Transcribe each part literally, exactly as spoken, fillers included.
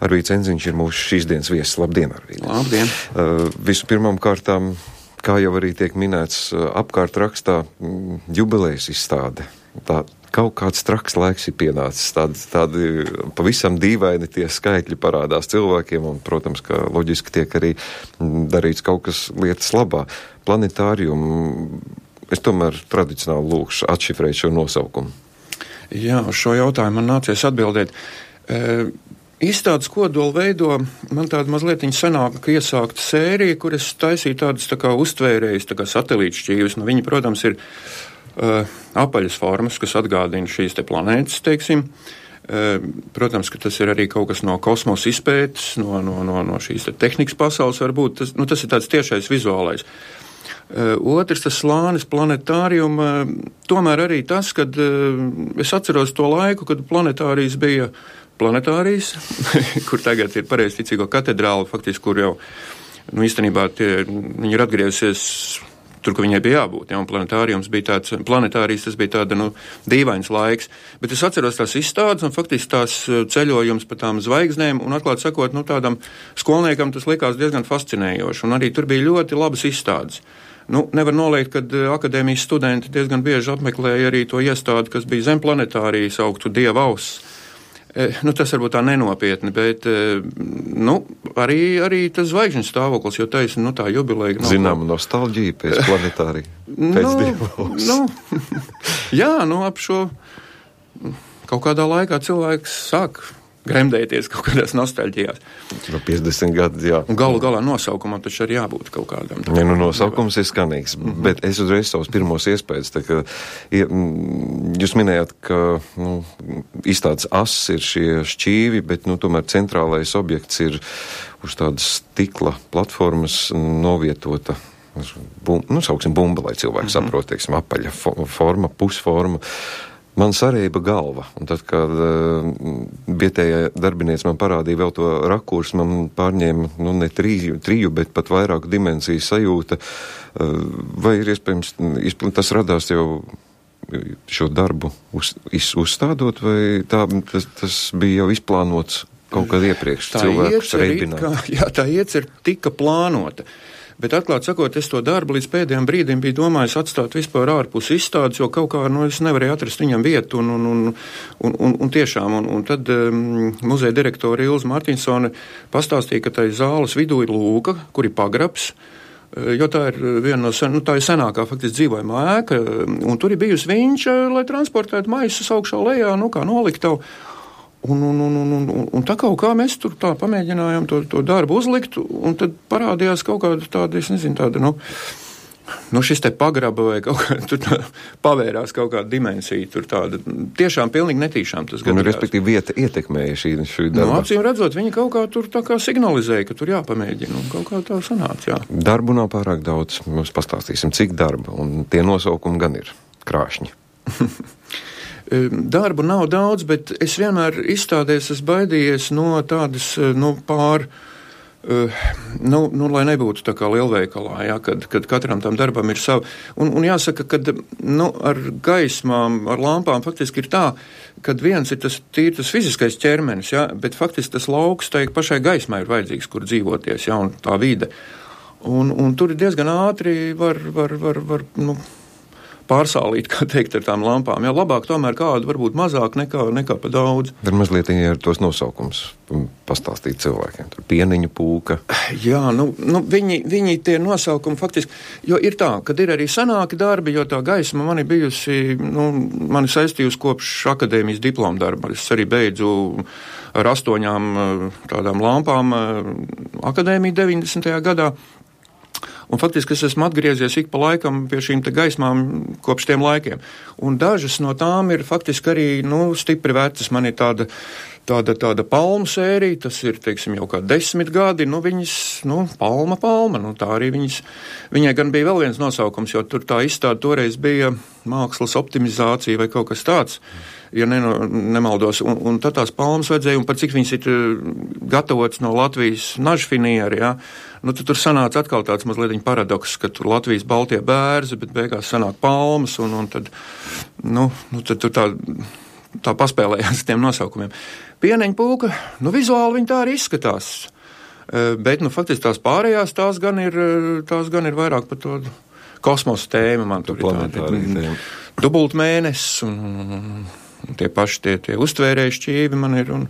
Arvīds Enziņš ir mūsu šīs dienas viesis. Labdien, Arvīd! Labdien! Uh, vispirmām kārtām, kā jau arī tiek minēts, uh, apkārt rakstā mm, jubilejas izstāde. Tā kaut kāds traks laiks ir pienācis. Tādi, tādi pavisam dīvaini tie skaitļi parādās cilvēkiem, un, protams, ka loģiski tiek arī darīts kaut kas lietas labā. Planetārium, es tomēr tradicionāli lūkšu atšifrēt šo nosaukumu. Jā, uz šo jautājumu man nācies atbildēt. E, Izstādes kodolu veido man tāda mazliet senāka iesākta sērija, kur es taisīju tādas tā kā uztvērējas, tā kā satelītu šķīvis. Nu, viņi, protams, ir uh, apaļas formas, kas atgādina šīs te planētas, teiksim. Uh, protams, ka tas ir arī kaut kas no kosmosa izpētes, no, no, no, no šīs te tehnikas pasaules varbūt. Tas, nu, tas ir tāds tiešais vizuālais. Uh, otrs, tas slānis planetārium, uh, tomēr arī tas, kad uh, es atceros to laiku, kad planetārijas bija planetārijas, kur tagad ir pareizticīgo katedrāli, faktiski, kur jau, nu, īstenībā tie, viņi ir atgriezusies tur, kur viņai bija jābūt, ja, un planetārijums bija tāds, planetārijas tas bija tāda, nu, dīvains laiks, bet es atceros tās izstādes, un faktiski tās ceļojums pa tām zvaigznēm, un atklāt sakot, nu, tādam skolniekam tas likās diezgan fascinējoši, un arī tur bija ļoti labas izstādes. Nu, nevar noliegt, kad akadēmijas studenti diezgan bieži apmeklēja arī to iestādi, kas bija zem planetārijas augtu Dieva auss. Nu, tas varbūt tā nenopietni, bet nu, arī, arī tas zvaigžņu stāvoklis, jo taisa, nu, tā jubileja. Zinām, nostalģija pēc planetārija, pēc nu, Dieva auss. Nu, jā, nu, ap šo kaut kādā laikā cilvēks sāk gremdēties kaut kādās nostalģijās. No piecdesmit gadi, jā. Un galu galā nosaukumam taču arī jābūt kaut kādam. Ja, nu, nosaukums ir skanīgs, mm-hmm. bet es uzreiz savus pirmos iespējas, tā ka ja, jūs minējāt, ka nu, izstādes ass ir šie šķīvi, bet nu, tomēr centrālais objekts ir uz tādas stikla platformas novietota, bum, nu, sauksim bumba, lai cilvēki mm-hmm. saprot, teiksim, apaļa forma, pusforma. Man sarēba galva, un tad, kad uh, vietējā darbinieks man parādīja vēl to rakursu, man pārņēma, nu, ne triju, triju, bet pat vairāku dimensiju sajūta, uh, vai ir iespējams, tas radās jau šo darbu uz, iz, uzstādot, vai tā, tas, tas bija jau izplānots kaut kad iepriekš, tā cilvēkus reibināt? Kā, jā, tā iecer tika plānota. Bet atklāt sakot, es to darbu līdz pēdējiem brīdim biju domājis atstāt vispār ārpus izstādes, jo kaut kā, nu, es nevarēju atrast viņam vietu, un, un, un, un, un, un tiešām, un, un tad um, muzeja direktora Ilza Martinsone pastāstīja, ka tai zāles vidū ir lūka, kur ir pagrabs, jo tā ir viena no, sen, nu, tā ir senākā faktiski dzīvojamā ēka, un tur ir bijusi viņš, lai transportētu maisus augšā lejā, nu, kā noliktavu. Un, un, un, un, un, un tā kaut kā mēs tur tā pamēģinājām to, to darbu uzlikt, un tad parādījās kaut kāda tāda, es nezinu, tāda, nu, nu šis te pagraba vai kaut kā, tur tā, pavērās kaut kāda dimensija, tur tāda, tiešām pilnīgi netīšām tas gadījās. Un, respektīvi, vieta ietekmēja šī, šī darba. Nu, acīm redzot, viņi kaut kā tur tā kā signalizēja, ka tur jāpamēģina, un kaut kā tā sanāca, jā. Darbu nav pārāk daudz, mēs pastāstīsim, cik darba, un tie nosaukumi gan ir krāšņi. Darbu nav daudz, bet es vienmēr izstādēs esmu baidījies no tādas, nu, pār, nu, nu, lai nebūtu tā kā lielveikalā, jā, kad, kad katram tam darbam ir sava. Un, un jāsaka, kad, nu, ar gaismām, ar lampām faktiski ir tā, kad viens ir tas tīri tas fiziskais ķermenis, jā, bet faktiski tas lauks, tai pašai gaismai ir vajadzīgs, kur dzīvoties, jā, un tā vide. Un, un tur ir diezgan ātri var, var, var, var, nu, pārsālīt, kā teikt, ar tām lampām. Jā, labāk tomēr kādu varbūt mazāk nekā, nekā pa daudz. Dar mazliet ir tos nosaukums pastāstīt cilvēkiem. Tur pieniņu pūka. Jā, nu, nu viņi, viņi tie nosaukumi faktiski, jo ir tā, kad ir arī senāki darbi, jo tā gaisma man ir bijusi, nu, mani saistījusi kopš akadēmijas diploma darba. Es arī beidzu ar astoņām tādām lampām akadēmiju deviņdesmitajā gadā. Un faktiski es esmu atgriezies ik pa laikam pie šīm te gaismām kopš tiem laikiem. Un dažas no tām ir faktiski arī, nu, stipri vecas. Man ir tāda, tāda, tāda palmu sērija, tas ir, teiksim, jau kā desmit gadi, nu, viņas, nu, palma, palma, nu, tā arī viņas, viņai gan bija vēl viens nosaukums, jo tur tā izstāde toreiz bija mākslas optimizācija vai kaut kas tāds, ja ne, nemaldos, un, un tad tās palmas vajadzēja, un par cik viņas ir gatavotas no Latvijas nažfinieri, jā, nu, tad tur sanāca atkal tāds mazliet paradoks, ka tur Latvijas baltie bērzi, bet beigās sanāk palmas, un, un tad, nu, nu, tad tur tā tā paspēlējās ar tiem nosaukumiem. Pieneņa pūka, nu vizuāli viņi tā arī izskatās, bet, nu, faktiski tās pārējās, tās gan ir, tās gan ir vairāk par to kosmosa tēma, man tur ir tādi dubultmēnesis un, un, un tie paši tie, tie uztvērēji šķīvi man ir. Un...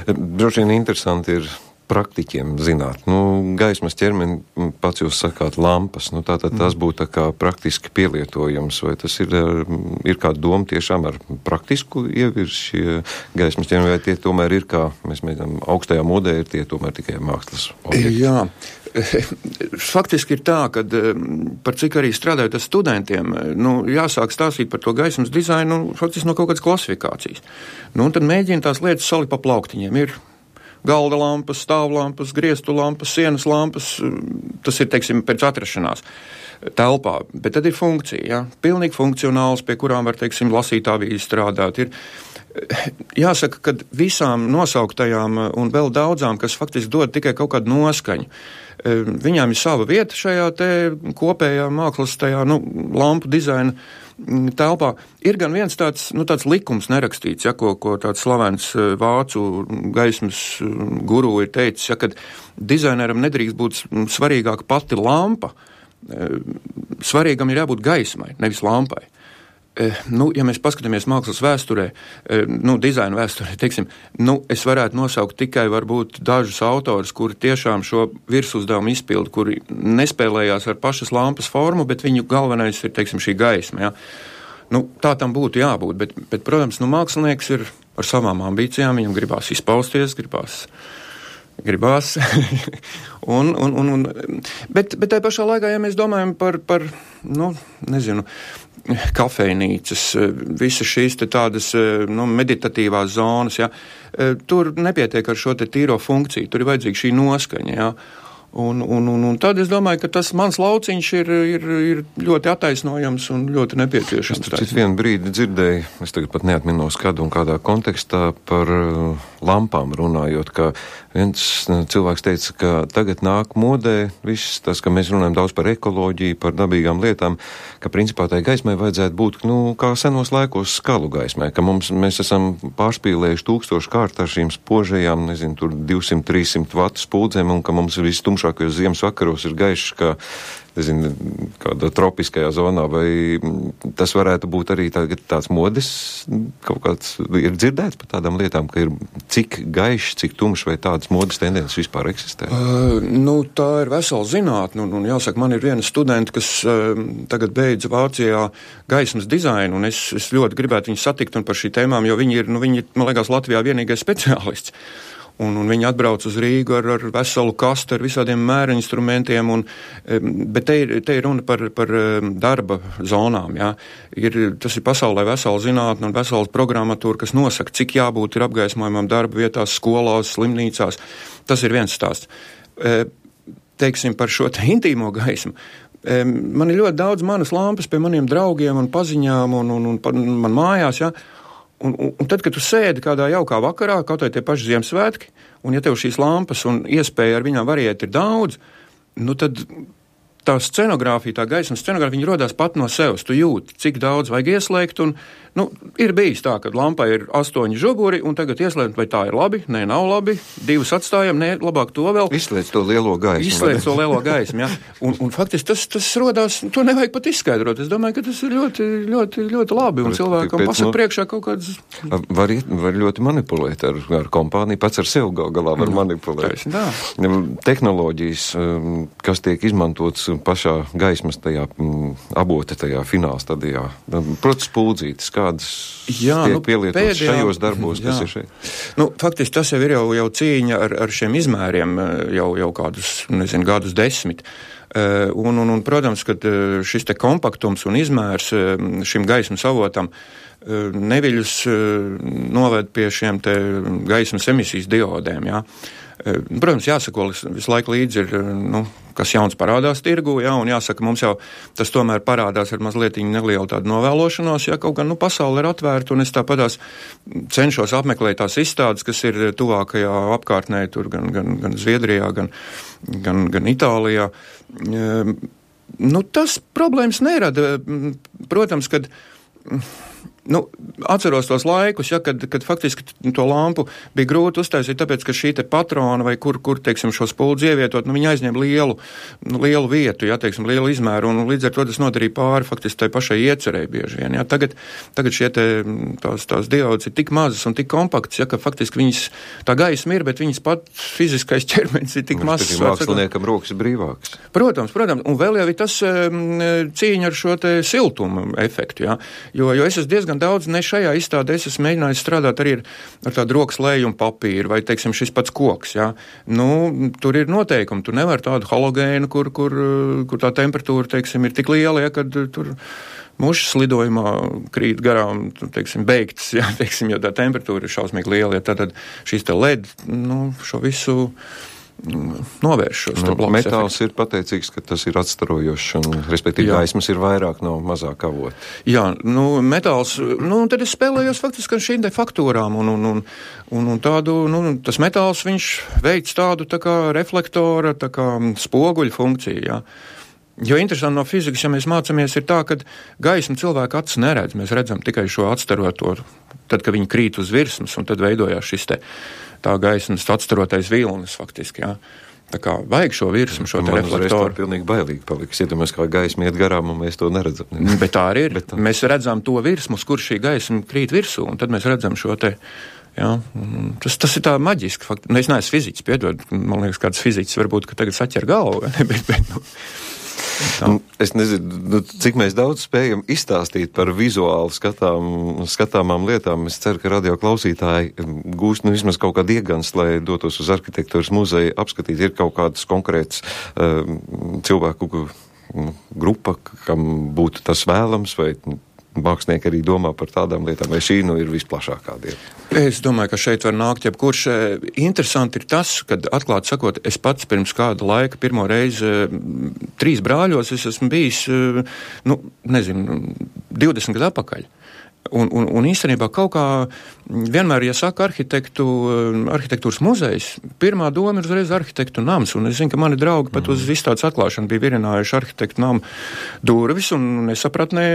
Droši vien interesanti ir praktiķiem zināt. Nu, gaismas ķermeni, pats jūs sakāt, lampas, nu, tātad tas būtu tā kā praktiski pielietojums, vai tas ir, ir kāda doma tiešām ar praktisku ievirs šie gaismas ķermeni, vai tie tomēr ir, kā mēs mēģinām, augstajā modē ir tie tomēr tikai mākslas objekti? Jā. Faktiski ir tā, ka par cik arī strādājot ar studentiem, nu, jāsāk stāstīt par to gaismas dizainu, nu, faktiski no kaut kādas klasifikācijas. Nu, un tad mēģina tās lietas salikt pa plauktiņiem. Ir galda lampas, stāvlampas, griestu lampas, sienas lampas, tas ir, teiksim, pēc atrašanās telpā, bet tad ir funkcija, ja? Pilnīgi funkcionāls, pie kurām var, teiksim, lasīt avīzi strādāt. Ir, jāsaka, ka visām nosauktajām un vēl daudzām, kas faktiski dod tikai kaut kādu noskaņu, viņām ir sava vieta šajā te kopējā mākslas tajā, nu, lampu dizaina telpā. Ir gan viens tāds, nu, tāds likums nerakstīts, ja, ko, ko tāds slavens vācu gaismas guru ir teicis, ja, kad dizaineram nedrīkst būt svarīgāka pati lampa, svarīgam ir jābūt gaismai, nevis lampai. Nu, ja mēs paskatāmies mākslas vēsturē, nu, dizaina vēsturē, teiksim, nu, es varētu nosaukt tikai varbūt dažus autors, kuri tiešām šo virsuzdevumu izpildu, kuri nespēlējās ar pašas lampas formu, bet viņu galvenais ir, teiksim, šī gaisma, ja. Nu, tā tam būtu jābūt, bet, bet protams, nu, mākslinieks ir ar savām ambīcijām, viņam gribās izpausties, gribās, gribās, un, un, un, un, bet, bet tai pašā laikā, ja mēs domājam par, par, nu, nezinu, kafejnīcas, visas šīs te tādas, nu, meditatīvās zonas, ja, tur nepietiek ar šo te tīro funkciju, tur ir vajadzīga šī noskaņa, ja, un, un, un, un tad es domāju, ka tas mans lauciņš ir, ir, ir ļoti attaisnojams un ļoti nepieciešams. Es citu vienu brīdi dzirdēju, es tagad pat neatminos kādu un kādā kontekstā par lampām runājot, ka viens cilvēks teica, ka tagad nāk modē viss tas, ka mēs runājam daudz par ekoloģiju, par dabīgām lietām, ka principā tai gaismai vajadzētu būt, nu, kā senos laikos skalu gaismai, ka mums, mēs esam pārspīlējuši tūkstošu kārt ar šīm spožajām, nezinu, tur divsimt trīssimt vatu spuldzēm, un ka mums viss tumšākajos ziemas vakaros ir gaišs, kā, nezinu, kādā tropiskajā zonā, vai tas varētu būt arī tagad tāds modes, kaut kāds ir dzirdēts par tādām lietām, ka ir cik gaišs, cik tumšs, vai tādas modes tendences vispār eksistē? Uh, nu, tā ir vesela zinātne, un, un jāsaka, man ir viena studenta, kas uh, tagad beidza Vācijā gaismas dizainu, un es, es ļoti gribētu viņu satikt un par šī tēmām, jo viņi ir, nu, viņi ir, man liekas, Latvijā vienīgais speciālists. Un, un viņi atbrauc uz Rīgu ar, ar veselu kastu, ar visādiem mēra instrumentiem, un, bet te ir, te ir runa par, par darba zonām, jā. Ir, tas ir pasaulē vesela zinātne un vesela programmatūra, kas nosaka, cik jābūt ir apgaismojumam darba vietās, skolās, slimnīcās. Tas ir viens stāsts. Teiksim par šo te intīmo gaismu. Man ir ļoti daudz manas lampas pie maniem draugiem un paziņām un, un, un man mājās, jā. Un, un, un tad, kad tu sēdi kādā jaukā vakarā, kaut vai tie paši Ziemassvētki, un ja tev šīs lampas un iespēja ar viņām variēt ir daudz, nu tad tā scenogrāfija, tā gaismas scenogrāfija, viņa rodās pat no sevis. Tu jūti, cik daudz vajag ieslēgt, un, nu, ir bijis tā, ka lampai ir astoņi žuguri, un tagad ieslēgt, vai tā ir labi, nē, nav labi, divas atstājam, nē, labāk to vēl. Izslēdz to lielo gaismu. Izslēdz to lielo gaismu, jā. Un, un faktiski tas, tas rodās, to nevajag pat izskaidrot. Es domāju, ka tas ir ļoti, ļoti, ļoti labi, un cilvēkam pasaka priekšā kaut kādas... Var, var ļoti manipulēt ar, ar kompāniju, pats ar sev gal galā var manipulēt. Tā. Tehnoloģijas, kas tiek izmantotas pašā gaismas tajā m, abota tajā fināla stadijā. Protams, spuldzītes, kādas jā, tiek nu, pielietotas pēdējā, šajos darbos, jā. Kas ir šeit? Nu, faktiski tas jau ir jau, jau cīņa ar, ar šiem izmēriem jau, jau kādus, nezinu, gadus desmit. Uh, un, un, un, protams, ka šis te kompaktums un izmērs šim gaismas avotam uh, neviļus uh, noved pie šiem te gaismas emisijas diodēm, jā. Protams, jāsako visu laiku līdzi ir, nu, kas jauns parādās tirgu, jā, un jāsaka, mums jau tas tomēr parādās ar mazliet nelielu tādu novēlošanos, ja kaut gan, nu, pasauli ir atvērta, un es tāpatās cenšos apmeklēt tās izstādes, kas ir tuvākajā apkārtnē, tur gan, gan, gan Zviedrijā, gan, gan, gan Itālijā. Nu, tas problēmas nerada. Protams, kad nu, atceros tos laikus, ja, kad, kad faktiski to lampu bija grūti uztaisīt, tāpēc, ka šī te patrona vai kur, kur teiksim, šo spuldzi ievietot, nu, viņi aizņem lielu, lielu vietu, ja, teiksim, lielu izmēru, un līdz ar to tas nodarīja pāri faktiski tai pašai iecerēji bieži vien. Ja. Tagad, tagad šie te, tās, tās diodes ir tik mazas un tik kompaktas, ja, ka faktiski viņas, tā gaisma ir, bet viņas pat fiziskais ķermenis ir tik mazs. Māksliniekam rokas ir brīvāks. Protams, protams, un vēl jau ir tas cīņa ar šo te siltumu efektu, ja, jo, jo es esmu diezgan daudz, ne šajā izstādē, es esmu mēģinājis strādāt arī ar, ar tādu rokas lējumu papīru, vai, teiksim, šis pats koks, ja. Nu, tur ir noteikumi, tu nevar tādu halogēnu, kur, kur, kur tā temperatūra, teiksim, ir tik liela, ja, kad tur mušas lidojumā krīt garām, teiksim, beigtas, ja, teiksim, jo tā temperatūra ir šausmīgi liela, ja, tad šīs te L E D, nu, šo visu novērš šos nu, blokus. Metāls efektu. Ir pateicīgs, ka tas ir atstarojošs un, respektīvi, jā. Gaismas ir vairāk no mazāk avota. Jā, nu, metāls, nu, tad es spēlējos faktiski ar šīm te faktūrām un, un, un, un, un tādu, nu, tas metāls, viņš veic tādu tā kā reflektora, tā kā spoguļu funkciju, jā. Jo interesanti no fizikas, ja mēs mācāmies, ir tā, ka gaismu cilvēku acis neredz. Mēs redzam tikai šo atstaroto, tad, kad viņi krīt uz virsmas, un tad veidojās šis te tā gaismas atstarotais vilnis faktiski, jā. Tā kā vajag šo virsmu, šo te Man reflektoru. Man uzreiz tā pilnīgi bailīgi paliks. Iedomājies, kā gaisma iet garām, un mēs to neredzam. Bet tā arī ir. tā... Mēs redzam to virsmu, kur šī gaisma krīt virsū, un tad mēs redzam šo te. Jā, tas, tas ir tā maģiski. Fakt. Nu, es neesmu fiziķis, piedod. Man liekas, kāds fiziķis varbūt, ka tagad saķer galvu. bet, bet, nu. Tā. Es nezinu, nu, cik mēs daudz spējam izstāstīt par vizuāli skatām, skatāmām lietām. Es ceru, ka radio klausītāji gūst nu, vismaz kaut kādu iegans, lai dotos uz arhitektūras muzeju apskatīt. Ir kaut kādas konkrētas uh, cilvēku uh, grupa, kam būtu tas vēlams, vai mākslinieki arī domā par tādām lietām, vai šī nu ir visplašākā dieta? Es domāju, ka šeit var nākt jebkurš. Interesanti ir tas, kad, atklāt sakot, es pats pirms kāda laika pirmo reizi trīs brāļos es esmu bijis, nu, nezinu, divdesmit gadu atpakaļ. Un, un, un īstenībā kaut kā vienmēr, ja saka arhitektu, arhitektūras muzejs, pirmā doma ir uzreiz arhitektu nams. Un es zinu, ka mani draugi pat uz izstādes atklāšanu bija virinājuši arhitektu namu durvis, un es sapratnē,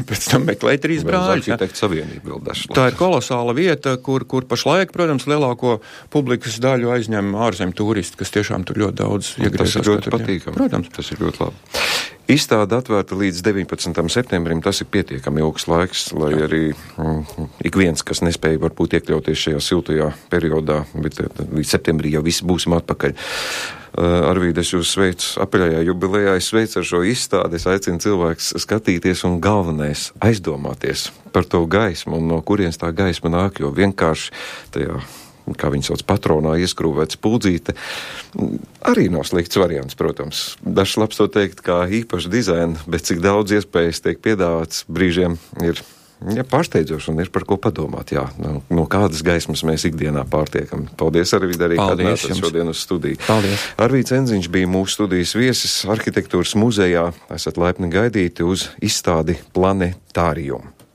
pēc tam meklēju trīs brāļus. Arhitektu savienība vēl dažs. Tā ir kolosāla vieta, kur, kur pašlaik, protams, lielāko publikas daļu aizņem ārzemju turisti, kas tiešām tur ļoti daudz iegriežas. Tas ir ļoti patīkami. Protams. Tas ir ļoti labi. Izstāde atvērta līdz deviņpadsmitam septembrim, tas ir pietiekami ilgs laiks, lai arī mm, ik viens, kas nespēja varbūt iekļauties šajā siltajā periodā, bet līdz septembrī jau visi būsim atpakaļ. Uh, Arvīd, es jūs sveicu apaļajā jubilejā, es sveicu ar šo izstādi, es aicinu cilvēks skatīties un galvenais aizdomāties par to gaismu un no kurienes tā gaisma nāk, jo vienkārši tajā, kā viņi sauc, patronā ieskrūvēt spuldzīte, arī nav slikts variants, protams. Dažs labs to teikt kā īpaši dizaina, bet cik daudz iespējas tiek piedāvāts brīžiem ir ja, pārsteidzoši un ir par ko padomāt. Jā, no, no kādas gaismas mēs ikdienā pārtiekam. Paldies, Arvīd, arī, kad nācat šodien uz studiju. Paldies. Arvīds Enziņš bija mūsu studijas viesis arhitektūras muzejā. Esat laipni gaidīti uz izstādi Planetārium.